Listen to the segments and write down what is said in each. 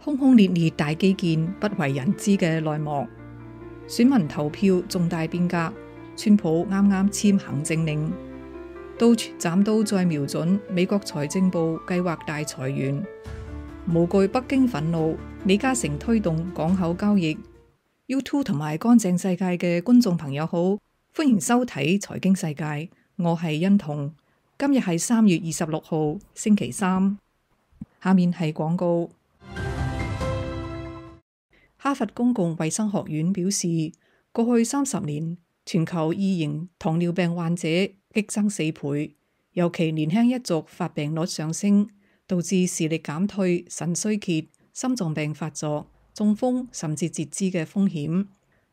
轟轟烈烈大基建不為人知嘅內幕，選民投票重大變革，川普啱啱簽行政令，刀斬刀再瞄準美國財政部計劃大裁員，無懼北京憤怒，李嘉誠推動港口交易。YouTube 同埋乾淨世界嘅觀眾朋友好，歡迎收睇財經世界，我係欣彤。今日係3月26號星期三，下面係廣告。哈佛公共衛生學院表示，過去30年，全球二型糖尿病患者激增4倍，尤其年輕一族發病率上升，導致視力減退、腎衰竭、心臟病發作、中風甚至截肢嘅風險。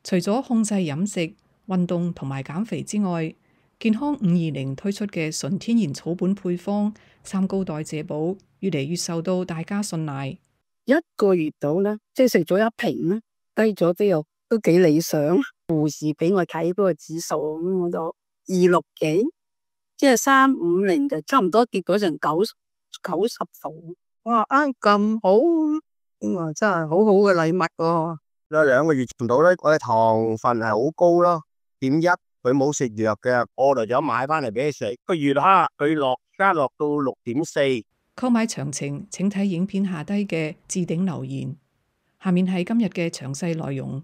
除咗控制飲食、運動同埋減肥之外，健康520推出嘅純天然草本配方三高代謝寶越嚟越受到大家信賴。1個月到啦，即係食咗1瓶啦，低咗之後都幾理想。護士俾我睇嗰個指數，我都260幾，即係350就差唔多跌到成90度。哇，咁好，哇，真係好好嘅禮物喎。有2個月唔到咧，我嘅糖分係好高咯，0.1，佢冇食藥嘅，我嚟咗買翻嚟俾佢食。個月哈，佢加落到6.4。購買詳情請睇影片下低嘅置頂留言。下面係今日嘅詳細內容。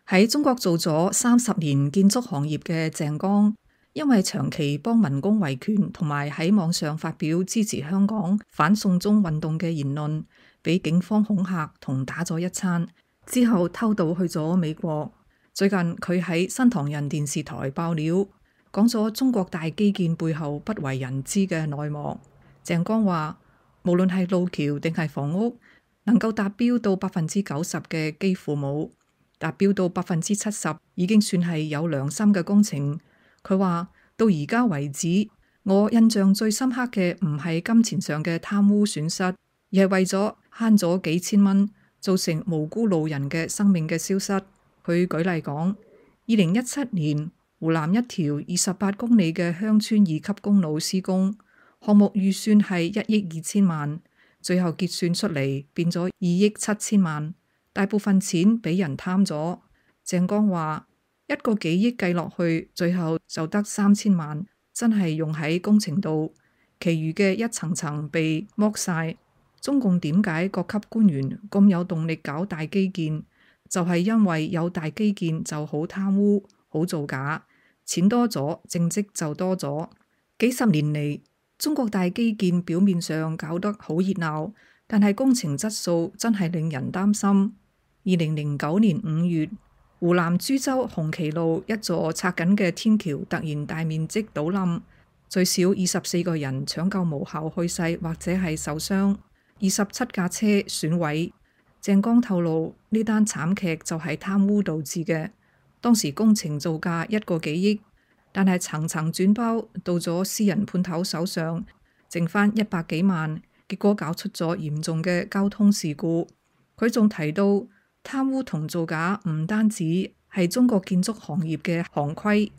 喺中國做咗30年建築行業嘅鄭剛，因為長期幫民工維權同埋喺網上發表支持香港反送中運動嘅言論，俾警方恐嚇同打咗一餐，之後偷渡去咗美國。最近佢喺新唐人電視台爆料，講咗中國大基建背後不為人知嘅內幕。鄭剛話，無論係路橋定係房屋，能夠達標到90%嘅幾乎冇，達標到70%已經算係有良心嘅工程。佢話到而家為止，我印象最深刻嘅唔係金錢上嘅貪污損失，而係為咗慳咗幾千蚊，造成無辜路人嘅生命嘅消失。佢舉例講，2017年湖南一條28公里嘅鄉村2級公路施工，項目預算係1億2千萬，最後結算出嚟變咗2億7千萬，大部分錢俾人貪咗。鄭剛話1個幾億計落去，最後就得3千萬，真係用喺工程度，其餘嘅一層層被剝晒。中共點解各級官員咁有動力搞大基建？就係因為有大基建就好貪污、好造假，錢多咗，政績就多咗。幾十年嚟，中國大基建表面上搞得好熱鬧，但係工程質素真係令人擔心。2009年5月，湖南株洲紅旗路一座拆緊嘅天橋突然大面積倒冧，最少24個人搶救無效去世或者係受傷，27架車損毀。鄭剛透露，呢單慘劇就係貪污導致嘅。當時工程造價1個幾億，但係層層轉包到咗私人判頭手上，剩返100幾萬，結果搞出咗嚴重嘅交通事故。佢仲提到，貪污同造假唔單止係中國建築行業嘅行規，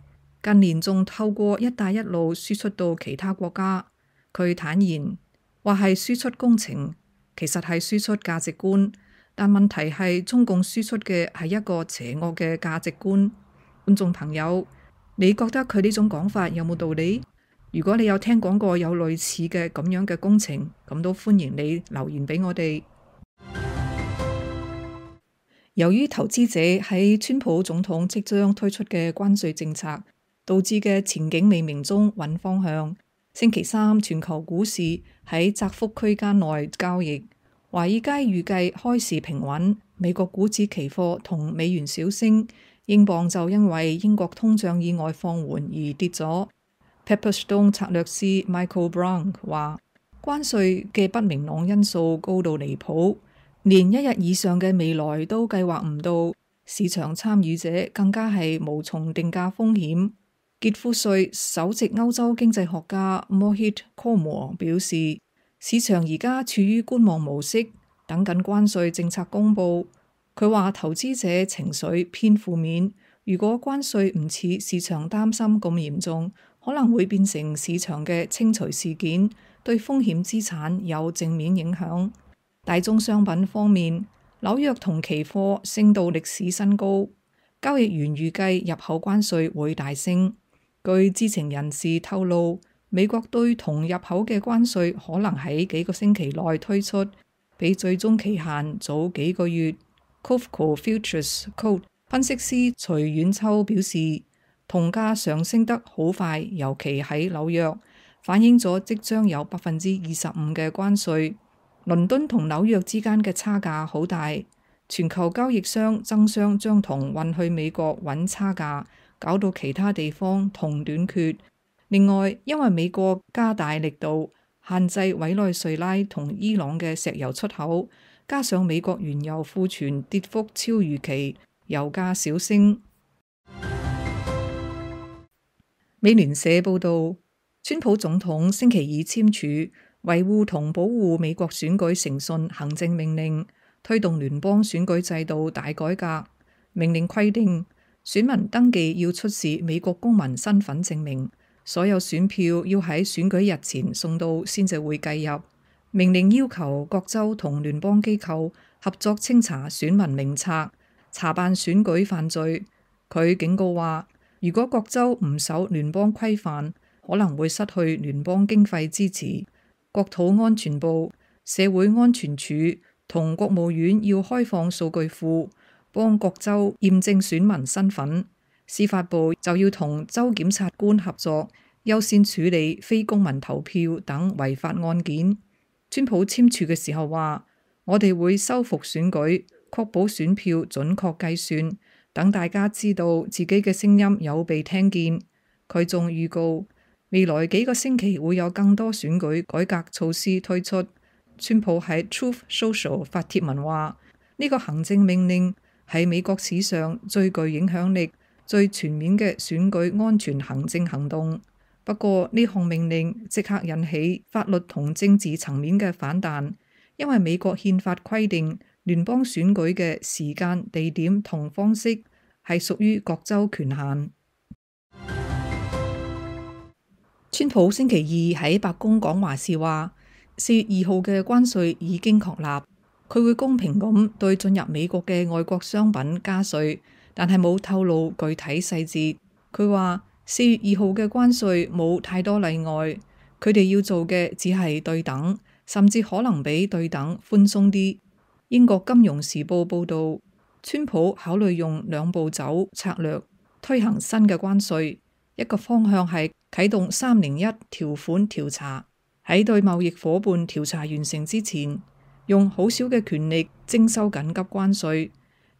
近年仲透過一帶一路輸出到其他國家。佢坦言話係輸出工程，其實係輸出價值觀。但問題係中共輸出嘅係一個邪惡嘅價值觀。觀眾朋友，你覺得佢呢種講法有冇道理？如果你有聽講過有類似嘅咁樣嘅工程，咁都歡迎你留言俾我哋。由於投資者喺川普總統即將推出嘅關稅政策導致嘅前景未明中揾方向，星期三全球股市喺窄幅區間內交易。華爾街預計開市平穩，美國股指期貨同美元小升，英鎊就因為英國通脹意外放緩而跌咗。Pepperstone 策略師 Michael Brown 話，關稅嘅不明朗因素高到離譜，連1日以上嘅未來都計劃唔到，市場參與者更加係無從定價風險。傑夫瑞首席歐洲經濟學家 Mohit Kumar 表示，市場而家處於觀望模式，等緊關稅政策公佈。佢話投資者情緒偏負面，如果關稅唔似市場擔心咁嚴重，可可能會變成市場嘅清除事件，對風險資產有正面影響。大宗商品方面，紐約銅期貨升到歷史新高，交易員預計入口關稅會大升。據知情人士透露，美國對銅入口嘅關稅可能喺幾個星期內推出，比最終期限早幾個月。Covco Futures Code 分析師徐遠秋表示，銅價上升得好快，尤其喺紐約，反映咗即將有25%嘅關稅。倫敦同紐約之間嘅差價好大，全球交易商爭相將銅運去美國揾差價，搞到其他地方銅短缺。另外，因為美國加大力度限制委內瑞拉同伊朗嘅石油出口，加上美國原油庫存跌幅超預期，油價小升。美聯社報導，川普總統星期二簽署維護同保護美國選舉誠信行政命令，推動聯邦選舉制度大改革。命令規定，選民登記要出示美國公民身份證明，所有選票要喺選舉日前送到先至會計入。命令要求各州同聯邦機構合作清查選民名冊，查辦選舉犯罪。佢警告話，如果各州唔守聯邦規範，可能會失去聯邦經費支持。國土安全部、社會安全署同國務院要開放數據庫，幫各州驗證選民身份。司法部就要同州檢察官合作，優先處理非公民投票等違法案件。川普簽署嘅時候話，我哋會修復選舉，確保選票準確計算，等大家知道自己嘅聲音有被聽見。佢仲預告，未來幾個星期會有更多選舉改革措施推出。川普喺 Truth Social 發帖文話，呢個行政命令係美國史上最具影響力、最全面嘅選舉安全行政行動。不過呢項命令即刻引起法律同政治層面嘅反彈，因為美國憲法規定聯邦選舉嘅時間、地點同方式係屬於各州權限。川普星期二喺白宮講話時話，4月2號嘅關稅已經確立，佢會公平咁對進入美國嘅外國商品加稅，但係冇透露具體細節。佢話4月2號嘅關稅冇太多例外，佢哋要做嘅只係對等，甚至可能比對等寬鬆啲。英國金融時報報導，川普考慮用2步走策略推行新嘅關稅，一個方向係啟動301條款調查，喺對貿易夥伴調查完成之前，用好少嘅權力徵收緊急關稅。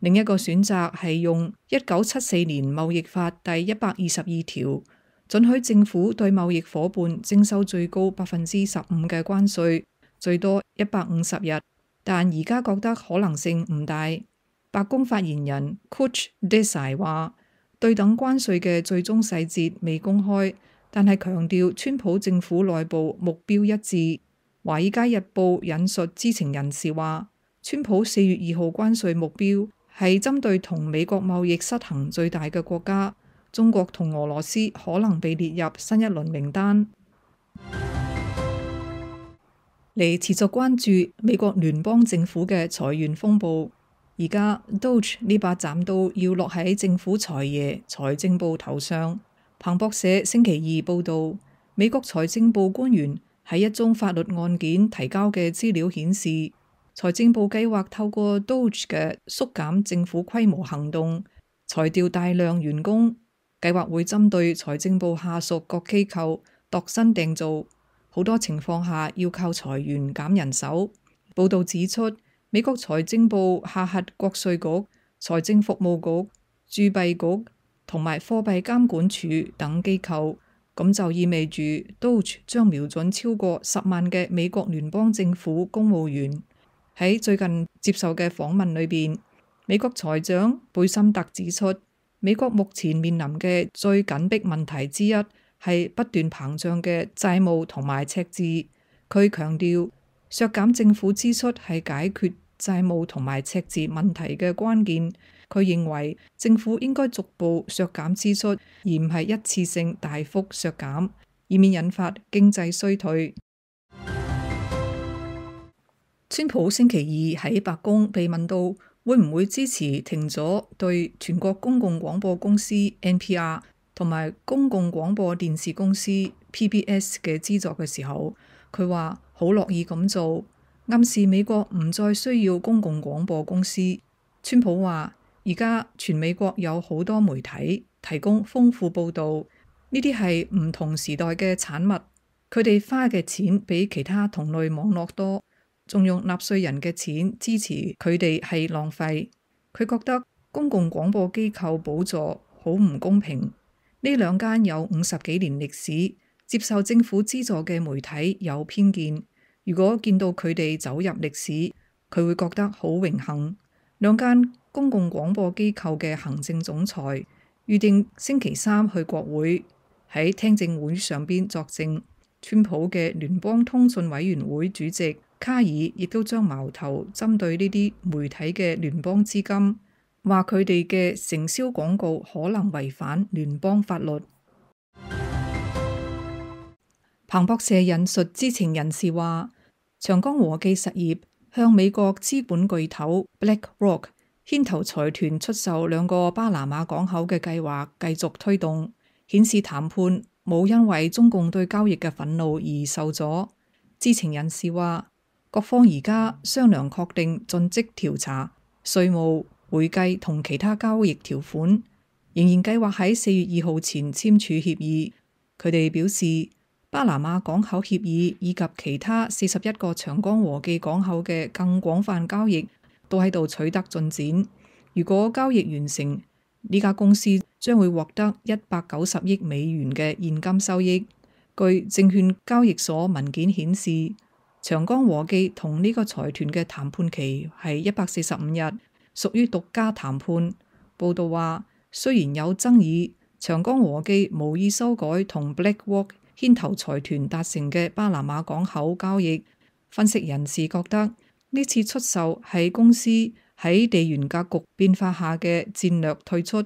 另一個選擇係用1974年貿易法第122條，准許政府對貿易夥伴徵收最高15%嘅關稅，最多150日。但而家覺得可能性唔大。白宮發言人 Kuch Desai 話，對等關稅嘅最終細節未公開，但係強調川普政府內部目標一致。華爾街日報引述知情人士話，川普4月2號關稅目標係針對同美國貿易失衡最大嘅國家，中國同俄羅斯可能被列入新一輪名單。嚟持續關注美國聯邦政府嘅裁員風暴，而家 Doge 呢把斬刀要落喺政府財爺財政部頭上。彭博社星期二報導，美國財政部官員喺一宗法律案件提交嘅資料顯示，財政部計劃透過 Doge 嘅縮減政府規模行動，裁掉大量員工。計劃會針對財政部下屬各機構度身訂造，好多情況下要靠裁員減人手。報導指出，美國財政部下轄國稅局、財政服務局、鑄幣局同埋貨幣監管署等機構，咁就意味住 Doge 將瞄準超過10萬嘅美國聯邦政府公務員。喺最近接受嘅訪問裏邊，美國財長貝森特指出，美國目前面臨嘅最緊迫問題之一係不斷膨脹嘅債務同埋赤字。佢強調，削減政府支出係解決債務同埋赤字問題嘅關鍵，佢認為政府應該逐步削減支出，而唔係一次性大幅削減，以免引發經濟衰退。川普星期二喺白宮被問到會唔會支持停咗對全國公共廣播公司 NPR 同埋公共廣播電視公司 PBS 嘅資助嘅時候，佢話好樂意咁做，暗示美國唔再需要公共廣播公司。川普話而家全美國有好多媒體提供豐富報導，呢啲係唔同時代嘅產物，佢哋花嘅錢比其他同類網絡多，仲用納稅人嘅錢支持佢哋係浪費。佢覺得公共廣播機構補助好唔公平。呢兩間有50幾年歷史、接受政府資助嘅媒體有偏見，如果見到佢哋走入歷史，佢會覺得好榮幸。兩間公共廣播機構嘅行政總裁預定星期三去國會，喺聽證會上邊作證。川普嘅聯邦通訊委員會主席卡爾亦都將矛頭針對呢啲媒體嘅聯邦資金，話佢哋嘅承銷廣告可能違反聯邦法律。彭博社引述知情人士話，長江和記實業向美國資本巨頭 BlackRock 牽頭財團出售兩個巴拿馬港口嘅計劃繼續推動，顯示談判冇因為中共對交易嘅憤怒而受阻。知情人士話，各方而家商量確定盡職調查、稅務、會計同其他交易條款，仍然計劃喺4月2號前簽署協議。佢哋表示，巴拿馬港口協議以及其他41個長江和記港口嘅更廣泛交易都喺度取得進展。如果交易完成，呢家公司將會獲得190億美元嘅現金收益。據證券交易所文件顯示，長江和記同呢個財團嘅談判期係145日，屬於獨家談判。報道話，雖然有爭議，長江和記無意修改同 BlackRock 牽頭財團達成嘅巴拿馬港口交易。分析人士覺得呢次出售係公司喺地緣格局變化下嘅戰略退出。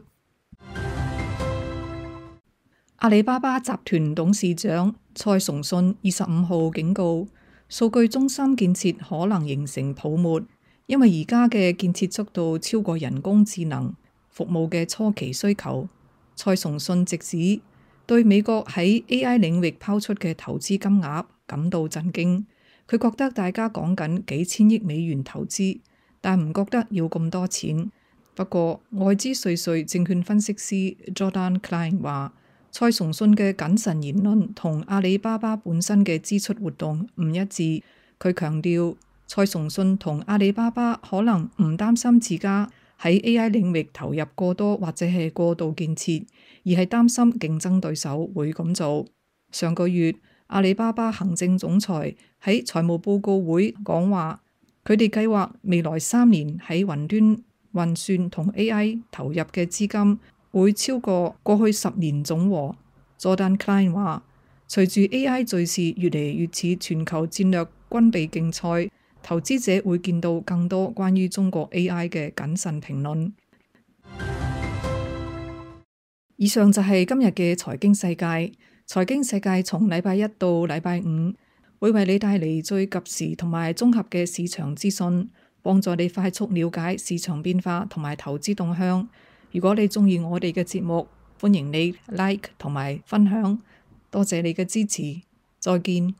阿里巴巴集團董事長蔡崇信25號警告，數據中心建設可能形成泡沫，因為而家嘅建設速度超過人工智能服務嘅初期需求。蔡崇信直指對美國喺 AI 領域拋出嘅投資金額感到震驚。佢覺得大家講緊幾千億美元投資，但唔覺得要咁多錢。不過外資瑞瑞證券分析師 Jordan Klein 話，蔡崇信嘅謹慎言論同阿里巴巴本身嘅支出活動唔一致。佢強調，蔡崇信同阿里巴巴可能唔擔心自家喺 AI 領域投入過多或者係過度建設，而係擔心競爭對手會咁做。上個月，阿里巴巴行政總裁喺財務報告會講話，佢哋計劃未來3年喺雲端運算同 AI 投入嘅資金會超過過去10年總和。Jordan Klein 話，隨住 AI 敘事越嚟越似全球戰略軍備競賽，投資者會見到更多關於中國 AI 嘅謹慎評論。以上就係今日嘅財經世界。財經世界從禮拜一到禮拜五會為你帶嚟最及時同埋綜合嘅市場資訊，幫助你快速了解市場變化同埋投資動向。如果你鍾意我哋嘅節目，歡迎你 like 同埋分享。多謝你嘅支持，再見。